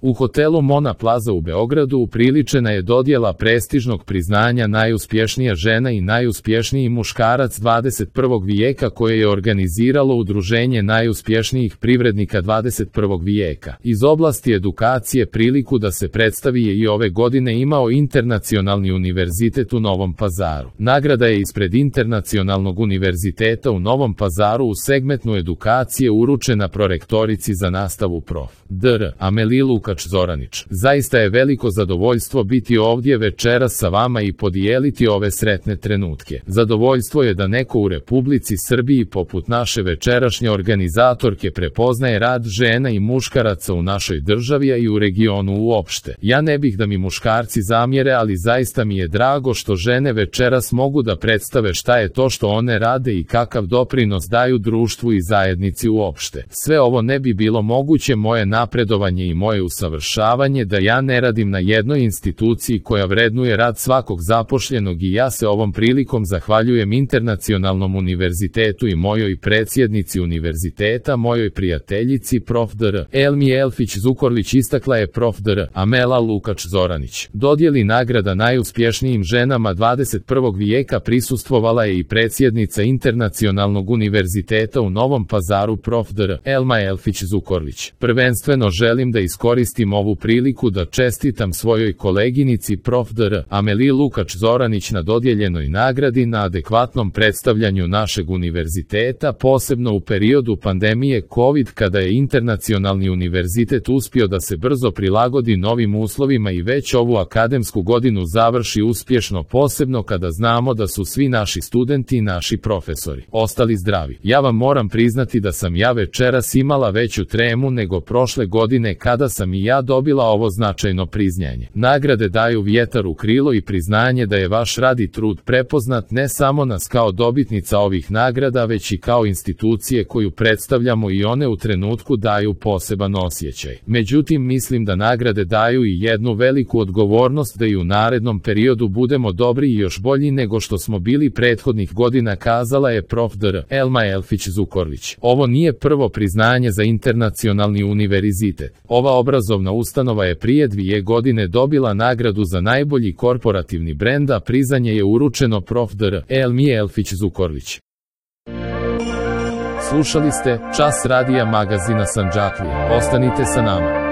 U hotelu Mona Plaza u Beogradu upriličena je dodjela prestižnog priznanja najuspješnija žena i najuspješniji muškarac 21. vijeka koje je organiziralo Udruženje najuspješnijih privrednika 21. vijeka. Iz oblasti edukacije priliku da se predstavi je i ove godine imao Internacionalni univerzitet u Novom Pazaru. Nagrada je ispred Internacionalnog univerziteta u Novom Pazaru u segmentu edukacije uručena prorektorici za nastavu prof. dr. Ameliji Lukač-Zoranić. Zaista je veliko zadovoljstvo biti ovdje večeras sa vama i podijeliti ove sretne trenutke. Zadovoljstvo je da neko u Republici Srbiji poput naše večerašnje organizatorke prepoznaje rad žena i muškaraca u našoj državi, a i u regionu uopšte. Ja ne bih da mi muškarci zamjere, ali zaista mi je drago što žene večeras mogu da predstave šta je to što one rade i kakav doprinos daju društvu i zajednici uopšte. Sve ovo ne bi bilo moguće moje napredovanje i moje usavršavanje da ja ne radim na jednoj instituciji koja vrednuje rad svakog zapošljenog i ja se ovom prilikom zahvaljujem Internacionalnom univerzitetu i mojoj predsjednici univerziteta, mojoj prijateljici prof. dr. Elmi Elfić Zukorlić, istakla je prof. dr. Amela Lukač-Zoranić. Dodjeli nagrada najuspješnijim ženama 21. vijeka prisustvovala je i predsjednica Internacionalnog univerziteta u Novom Pazaru prof. dr. Elma Elfić Zukorlić. Prvenstveno želim da iskoristim ovu priliku da čestitam svojoj koleginici prof. dr. Ameliji Lukač-Zoranić na dodjeljenoj nagradi, na adekvatnom predstavljanju našeg univerziteta, posebno u periodu pandemije COVID kada je Internacionalni univerzitet uspio da se brzo prilagodi novim uslovima i već ovu akademsku godinu završi uspješno, posebno kada znamo da su svi naši studenti i naši profesori ostali zdravi. Ja vam moram priznati da sam ja večeras imala veću tremu nego prošle godine kada sam i ja dobila ovo značajno priznanje. Nagrade daju vjetar u krilo i priznanje da je vaš rad i trud prepoznat ne samo nas kao dobitnica ovih nagrada, već i kao institucije koju predstavljamo, i one u trenutku daju poseban osjećaj. Međutim, mislim da nagrade daju i jednu veliku odgovornost da i u narednom periodu budemo dobri i još bolji nego što smo bili prethodnih godina, kazala je prof. dr. Elma Elfić Zukorlić. Ovo nije prvo priznanje za Internacionalni univerzitet. Ova obrazovna ustanova je prije 2 godine dobila nagradu za najbolji korporativni brend, a priznanje je uručeno prof. dr. Elmi Elfić Zukorlić. Slušali ste Čas radija magazina Sandžaklija. Ostanite sa nama.